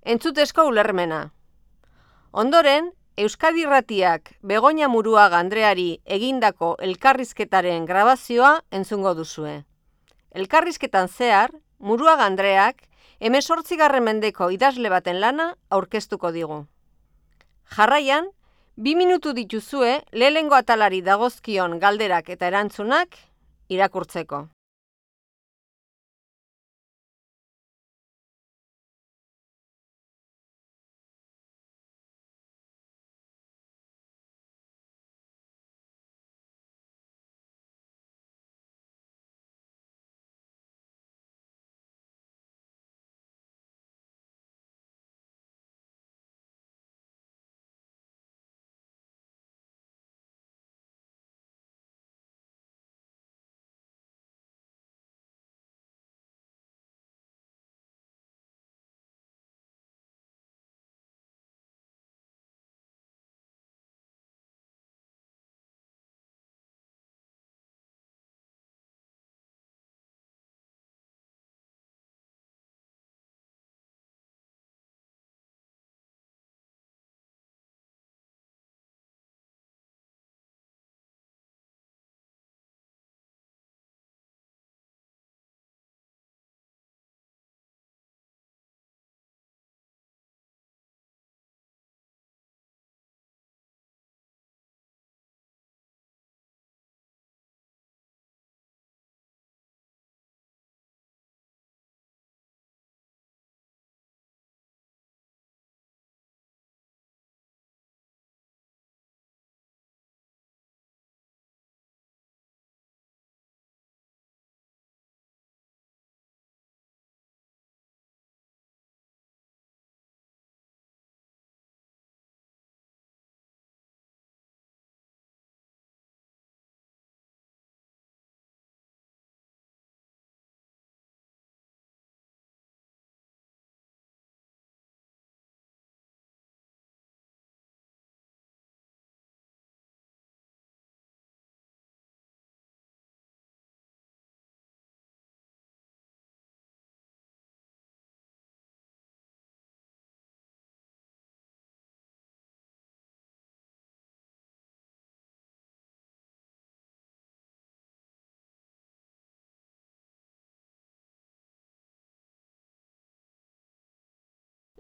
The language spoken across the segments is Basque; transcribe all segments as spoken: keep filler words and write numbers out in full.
Entzutezko ulermena. Ondoren, Euskadi Irratiak Begoña Muruaga Andreari egindako elkarrizketaren grabazioa entzungo duzue. Elkarrizketan zehar, Muruaga Andreak hemezortzigarren mendeko idazle baten lana aurkeztuko digu. Jarraian, bi minutu dituzue lehenengo atalari dagozkion galderak eta erantzunak irakurtzeko.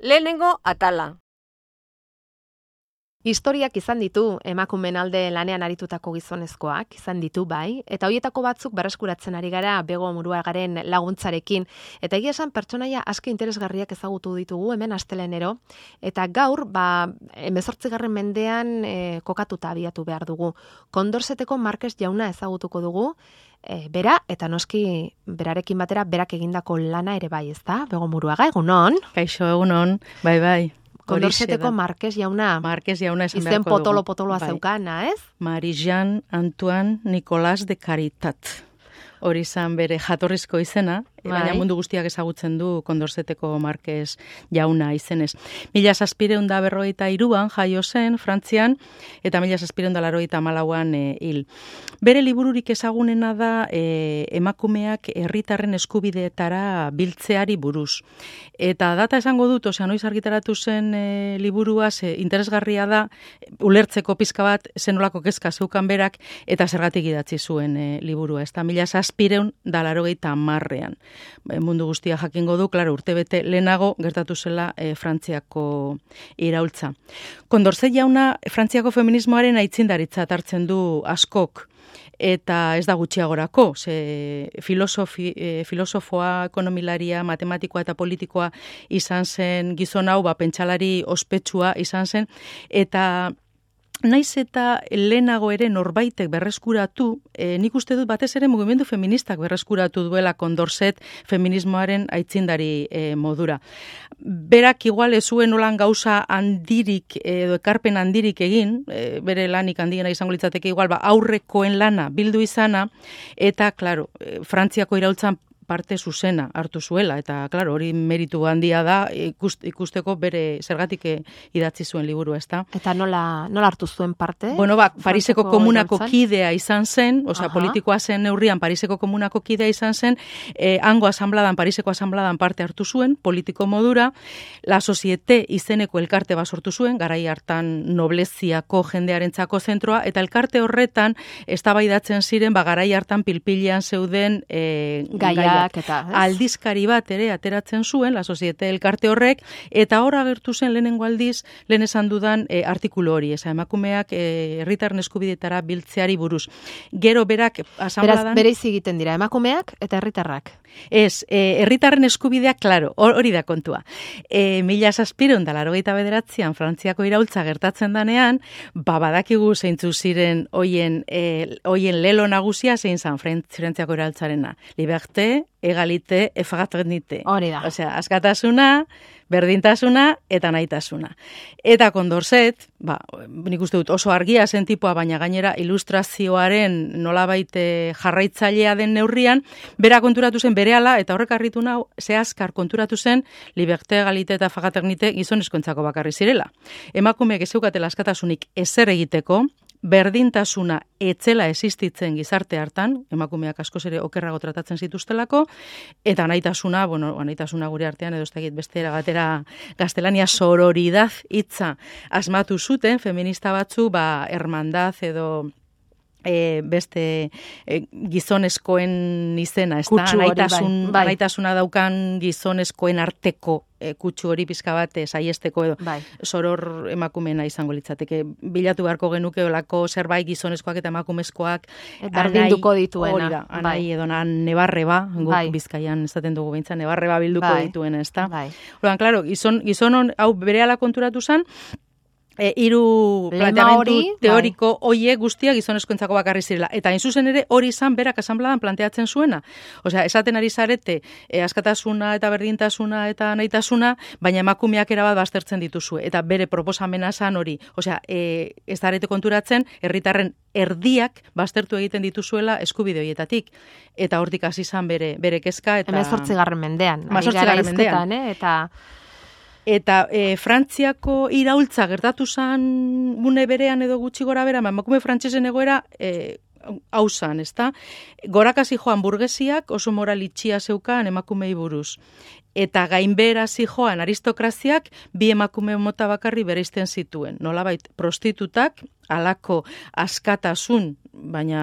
Lehenengo atala. Historiak izan ditu emakumeen alde lanean aritutako gizonezkoak, izan ditu bai, eta horietako batzuk berreskuratzen ari gara Bego Muruagaren laguntzarekin, eta egia esan pertsonaia asko interesgarriak ezagutu ditugu hemen astelenero, eta gaur, ba, hemezortzigarren mendean e, kokatuta abiatu behar dugu. Kondorzeteko Markez jauna ezagutuko dugu, e, bera, eta noski berarekin batera berak egindako lana ere bai, ezta? Bego Muruaga, egunon? Kaixo, egunon, bai, bai. Kondorzeteko Markez jauna. Markez jauna esan izen beharko dugu. potolo-potoloa bai. zeukana, ez? Marie-Jeanne Antoine Nicolas de Caritat. Hori izan bere jatorrizko izena, bai. Baina mundu guztiak ezagutzen du Kondorzeteko Markez jauna izenez. Mila zazpireun da berrogeita iruan jaio zen, Frantzian, eta mila zazpireun da larogeita malauan e, hil. Bere libururik ezagunena da e, emakumeak herritarren eskubideetara biltzeari buruz. Eta data esango dut, osea, noiz argitaratu zen e, liburua, ze interesgarria da, ulertzeko pizka bat zenolako kezka zeukan berak, eta zergatik idatzi zuen e, liburua. Ez da mila zazpireun da larogeita hamarrean. Mundu guztia jakingo du, klaro, urtebete lehenago gertatu zela e, Frantziako iraultza. Kondorzet jauna Frantziako feminismoaren aitzindaritza hartzen du askok, eta ez da gutxiagorako, ze filosofi, e, filosofoa, ekonomilaria, matematikoa eta politikoa izan zen gizon hau, ba, pentsalari ospetsua izan zen, eta naiz eta lehenago ere norbaitek berreskuratu, e, nik uste dut batez ere mugimendu feministak berreskuratu duela Kondorzet feminismoaren aitzindari e, modura. Berak igual ez zuen olan gauza handirik edo ekarpen handirik egin, e, bere lanik handiena izango litzateke igual ba, aurrekoen lana bildu izana, eta, klaro, e, Frantziako iraultzan parte zuzena hartu zuela, eta, klaro, hori meritu handia da, ikust, ikusteko bere zergatik idatzi zuen liburu, ezta? Eta nola, nola hartu zuen parte? Bueno, ba, Pariseko komunako iraultzan? kidea izan zen, osea, Aha. politikoa zen neurrian Pariseko komunako kidea izan zen, eh, hango asanbladan, Pariseko asanbladan parte hartu zuen, politiko modura, La Societe izeneko elkarte bat sortu zuen, garai hartan nobleziako jendearentzako zentroa, eta elkarte horretan eztabaidatzen ziren, ba, garai hartan pilpilean zeuden eh, Gaiak eta, ez? aldizkari bat ere ateratzen zuen, La Societe elkarte horrek, eta hor agertu zen lehenengo aldiz, lehen esan dudan eh, artikulu hori, eza emakumeak eh, herritarren eskubidetara biltzeari buruz. Gero berak Beraz, asanbladan... bereiz egiten dira, emakumeak eta herritarrak. Ez, eh, herritarren eskubideak, klaro, hori da kontua. E, mila zazpireun da larogeita bederatzean Frantziako iraultza gertatzen danean, ba, badakigu zeintzu ziren hoien, e, hoien lelo nagusia zein zan Frantziako iraultzarena. Liberté, egalite, fraternité. Hori da. Osea, askatasuna, berdintasuna eta nahitasuna. Eta Condorcet, ba, nik uste dut oso argia zen tipua, baina gainera ilustrazioaren nolabait jarraitzailea den neurrian, bera konturatu zen berehala, eta horrek harritu nau, zehazkar konturatu zen, liberté, egalite eta fraternité gizonezkoentzako bakarri zirela. Emakumeek ez zeukatela askatasunik ezer egiteko, berdintasuna etzela existitzen gizarte hartan, emakumeak askoz ere okerrago tratatzen zituztelako, eta nahitasuna, bueno, nahitasuna gure artean edo ez dakit beste erabatera gaztelania sororidad hitza asmatu zuten, feminista batzu, ba, hermandad edo E, beste e, gizonezkoen izena, ez da, naitasun, bai, bai. naitasuna daukan gizonezkoen arteko e, kutsu hori pizka bat saiesteko edo bai. soror emakumena izango litzateke. Bilatu beharko genuke olako zerbait gizonezkoak eta emakumezkoak berdinduko dituena. Hori da, anai bai. edo nebarreba, guk bai. Bizkaian esaten dugu behintzen, nebarreba bilduko bai. dituena, ez da. Bai. Oran, klaro, gizon, gizon hau berehala konturatu zen, E, hiru planteamendu hori, teoriko hoiek guztiak gizonezkoentzako bakarri zirela. Eta hain zuzen ere hori izan berak asanbladan planteatzen zuena. Osea, esaten ari zarete e, askatasuna eta berdintasuna eta nahitasuna, baina emakumeak erabat baztertzen dituzue. Eta bere proposamena zan hori. Osea, e, ez zarete konturatzen, herritarren erdiak baztertu egiten dituzuela eskubide horietatik. Eta hortik hasi izan bere, bere kezka. Eta... hemezortzigarren mendean. hemezortzigarren mendean. Eh? Eta... Eta e, Frantziako iraultza gertatu zan une berean edo gutxi gora bera, emakume frantsesen egoera e, hau zan, ezta? Gorakasi joan burgesiak oso moral itxia zeukan emakumei buruz. Eta gainbehera zijoan aristokraziak bi emakume mota bakarri bereizten zituen. Nolabait prostitutak halako askatasun, baina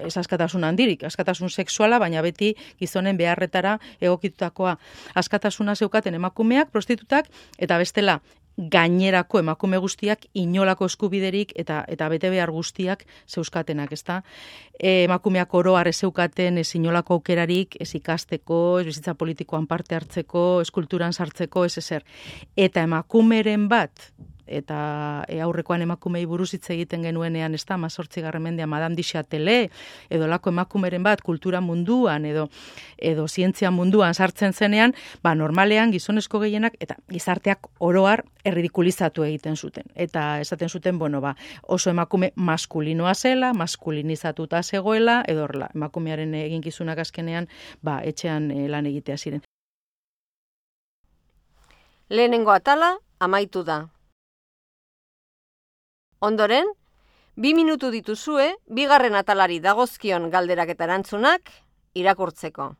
ez askatasun handirik, askatasun sexuala, baina beti gizonen beharretara egokitutakoa. Askatasuna zeukaten emakumeak, prostitutak, eta bestela gainerako emakume guztiak inolako eskubiderik eta eta bete behar guztiak zeuskatenak, ezta? E, emakumeak oro har ez zeukaten ez inolako aukerarik, ez ikasteko, ez bizitza politikoan parte hartzeko, ez kulturan sartzeko, ez ezer. Eta emakumeren bat, eta e, aurrekoan emakumei buruz hitz egiten genuenean, ez da, mazortzigarren mendean Madame du Châtelet, edo lako emakumeren bat kultura munduan, edo edo zientzia munduan sartzen zenean, ba, normalean gizonezko gehienak, eta gizarteak oroar erridikulizatu egiten zuten. Eta esaten zuten, bueno, ba, oso emakume maskulinoa zela, maskulinizatuta zegoela, edo horrela, emakumearen eginkizunak azkenean, ba, etxean e, lan egitea ziren. Lehenengo atala amaitu da. Ondoren, bi minutu dituzue, bigarren atalari dagozkion galderak eta erantzunak irakurtzeko.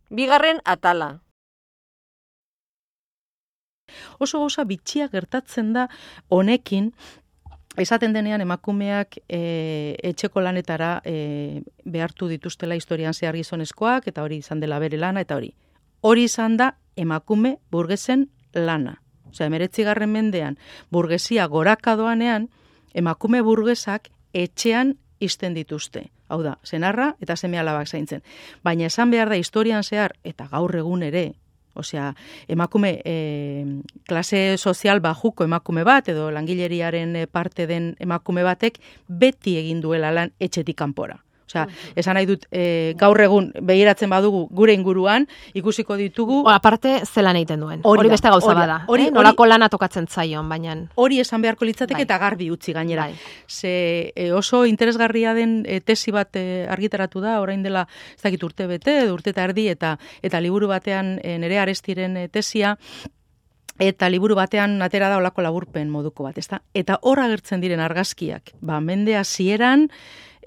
Bigarren atala. Oso gauza bitxia gertatzen da honekin, esaten denean emakumeak e, etxeko lanetara e, behartu dituztela historian zehar gizonezkoak, eta hori izan dela bere lana, eta hori. Hori izan da emakume burgesen lana. Osea, hemeretzigarren mendean, burgesia goraka doanean, emakume burgesak etxean ixten dituzte. Hau da, senarra eta seme alabak zaintzen. Baina esan behar da historian zehar, eta gaur egun ere, osea, emakume, e, klase sozial bajuko emakume bat, edo langileriaren parte den emakume batek, beti egin duela lan etxetik kanpora. Osea, esan nahi dut, e, gaur egun begiratzen badugu gure inguruan, ikusiko ditugu... O, aparte, zelan egiten duen. Hori, hori beste gauza hori, bada. Hori, eh? Nolako lana tokatzen zaion, baina... Hori esan beharko litzateke bai. Eta garbi utzi gainera. Bai. Ze e, oso interesgarria den e, tesi bat e, argitaratu da, orain dela, ez dakit urte bete, edo urte eta erdi, eta, eta liburu batean e, nere Arestiren e, tesia, eta liburu batean atera da olako laburpen moduko bat, ezta? Eta hor agertzen diren argazkiak, ba, mende hasieran,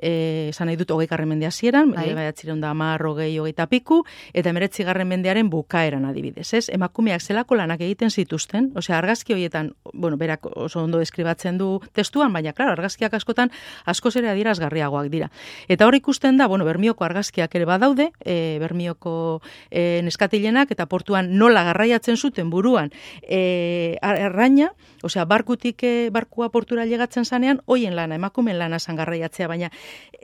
eh, esan nahi dut hogeigarren mende hasieran, bai. bederatziehun eta hamar, hogei, hogeita piku, eta hemeretzigarren mendearen bukaeran adibidez, ez? Emakumeak zelako lanak egiten zituzten, osea, argazki horietan, bueno, berak oso ondo deskribatzen du testuan, baina, klaro, argazkiak askotan askoz ere adierazgarriagoak dira. Eta hor ikusten da, bueno, Bermioko argazkiak ere badaude, e, Bermioko e, neskatilenak, eta portuan nola garraiatzen zuten buruan e, arraina, osea, barkutik e, barkua portura llegatzen zanean, hoien lana, emakumen lana zan garraiatzea, baina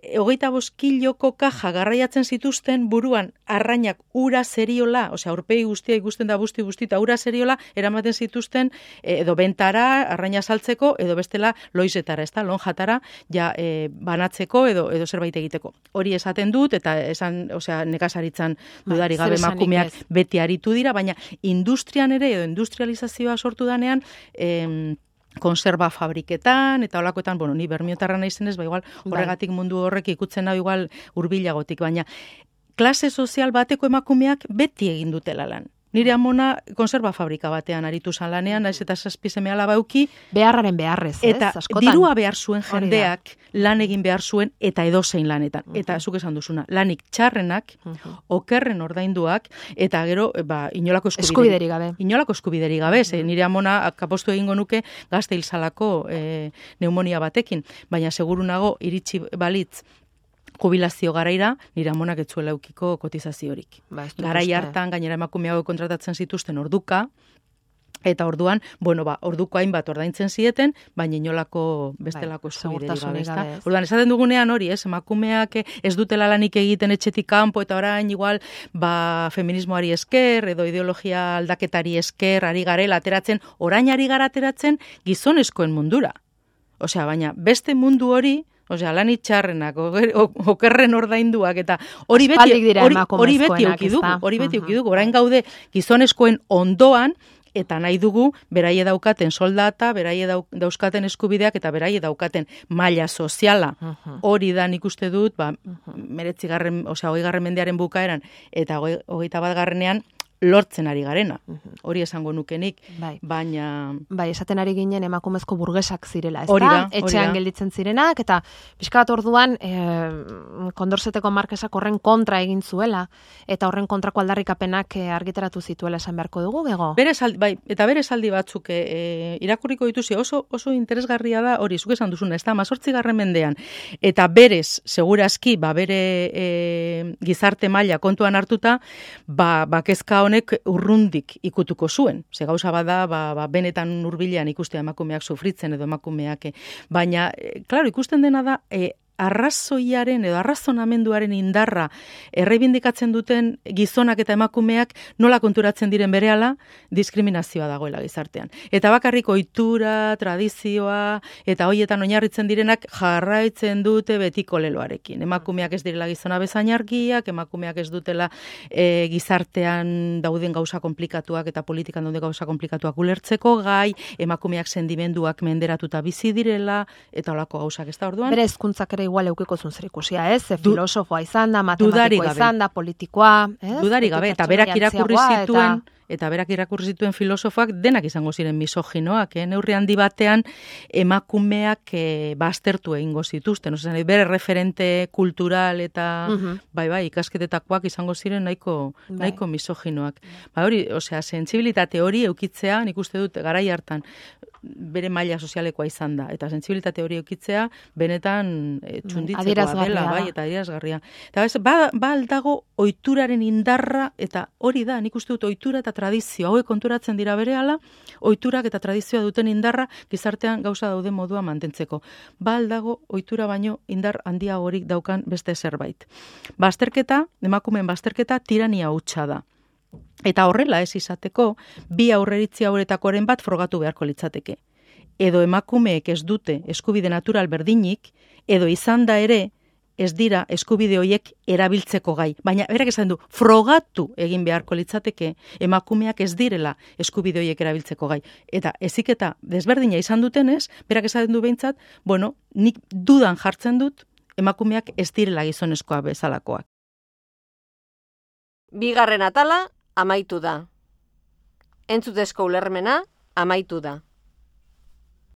e, hogeita bost kiloko kaja garraiatzen zituzten buruan arrainak ura zeriola, osea, aurpegi guztia ikusten da busti guztita ura zeriola, eramaten zituzten e, edo bentara, arraina saltzeko, edo bestela loizetara, ez da, lonjatara, ja e, banatzeko edo edo zerbait egiteko. Hori esaten dut, eta esan, osea, nekazaritzan dudari gabe emakumeak beti aritu dira, baina industrian ere, edo industrializazioa sortu danean, em, konserba fabriketan, eta holakoetan, bueno, ni bermiotarra naizenez, ba igual horregatik mundu horrek ikutzen hau igual hurbilagotik, baina klase sozial bateko emakumeak beti egin dutela lan. Nire amona konserba fabrika batean aritu zan lanean, naiz eta zazpi seme alaba euki. Beharraren beharrez, ez? Eta askotan. dirua behar zuen jendeak lan egin behar zuen eta edozein lanetan. Uh-huh. Eta zuk esan duzuna, lanik txarrenak, uh-huh. okerren ordainduak, eta gero, ba, inolako eskubiderik gabe. Inolako eskubiderik gabe, ze nire amona kapostu egingo nuke gazte hilzalako e, neumonia batekin. Baina seguru nago, iritsi balitz, jubilazio garaira, nire amonak etzuela eukiko kotizaziorik. Ba, Garai hartan, gainera emakumeago kontratatzen zituzten orduka, eta orduan, bueno, ba, orduko hainbat ordaintzen zieten, baina inolako bestelako eskubiderik gabe, ezta? Orduan, esaten dugunean hori, ez, emakumeak ez dutela lanik egiten etxetik kanpo, eta orain igual, ba, feminismoari esker, edo ideologia aldaketari esker, ari garela ateratzen, orain ari gara ateratzen gizonezkoen mundura. Osea, baina beste mundu hori, osea, lan itxarrenak, okerren ordainduak, eta hori beti, hori, hori beti euki dugu, hori beti euki dugu, orain gaude gizonezkoen ondoan, eta nahi dugu, beraie daukaten soldata, beraie dauzkaten eskubideak, eta beraie daukaten maila soziala. Hori da nik uste dut, ba, meretzigarren, osea, hogeigarren mendearen bukaeran, eta hogeita bat garrenean, lortzen ari garena. Hori esango nukenik, bai. baina... Bai, esaten ari ginen emakumezko burgesak zirela, ez hori da? Etxean gelditzen zirenak, eta pixka bat orduan, e, Kondorzeteko markesak horren kontra egin zuela, eta horren kontrako aldarrikapenak e, argitaratu zituela esan beharko dugu, bego? Bere saldi, bai, eta bere saldi batzuk e, irakurriko dituzi, oso, oso interesgarria da, hori, zuk esan duzuna, ez da, mazortzigarren mendean, eta berez, segurazki, ba, bere e, gizarte maila kontuan hartuta, ba, ba kezka honek urrundik ikutuko zuen. Ze gauza bada, ba, ba, benetan hurbilean ikustea emakumeak sufritzen edo emakumeak. Baina, e, klaro, ikusten dena da, e, arrazoiaren edo arrazonamenduaren indarra erreibindikatzen duten gizonak eta emakumeak nola konturatzen diren berehala diskriminazioa dagoela gizartean. Eta bakarrik ohitura, tradizioa eta hoietan oinarritzen direnak jarraitzen dute betiko leloarekin. Emakumeak ez direla gizona bezain argiak, emakumeak ez dutela e, gizartean dauden gauza komplikatuak eta politikan dauden gauza komplikatuak ulertzeko gai, emakumeak sentimenduak menderatuta bizi direla eta holako gauzak, ez da orduan. Bere hezkuntzak ere igual eukiko zuen zer ikusia, ez? Ze filosofoa izan da, matematikoa izan da, politikoa, ez? Dudari gabe, eta berak irakurri zituen, eta berak irakurri zituen filosofoak denak izango ziren misoginoak, eh? Neurri handi batean emakumeak eh, baztertu egingo zituzten, osea, bere referente kultural eta uh-huh. bai bai ikasketetakoak izango ziren nahiko bai. nahiko misoginoak. Ba hori, osea, sentsibilitate hori eukitzea, nik uste dut garai hartan bere maila sozialekoa izan da, eta sentsibilitate hori eukitzea benetan e, txunditzekoa dela, bai, eta adierazgarria. Eta bez, ba, ba aldago ohituraren indarra, eta hori da, nik uste dut ohitura eta tradizio, hauek konturatzen dira berehala, ohiturak eta tradizioa duten indarra gizartean gauza daude modua mantentzeko. Ba aldago ohitura baino indar handiagorik daukan beste zerbait. Bazterketa, emakumeen bazterketa tirania hutsa da. Eta horrela ez izateko, bi aurreritzi hauretakoren bat frogatu beharko litzateke. Edo emakumeek ez dute eskubide natural berdinik, edo izan da ere ez dira eskubide horiek erabiltzeko gai. Baina, berak esan du, frogatu egin beharko litzateke emakumeak ez direla eskubide horiek erabiltzeko gai. Eta heziketa desberdina izan dutenez, berak esaten du behintzat, bueno, nik dudan jartzen dut, emakumeak ez direla gizonezkoa bezalakoak. Bigarren atala amaitu da. Entzutezko ulermena amaitu da.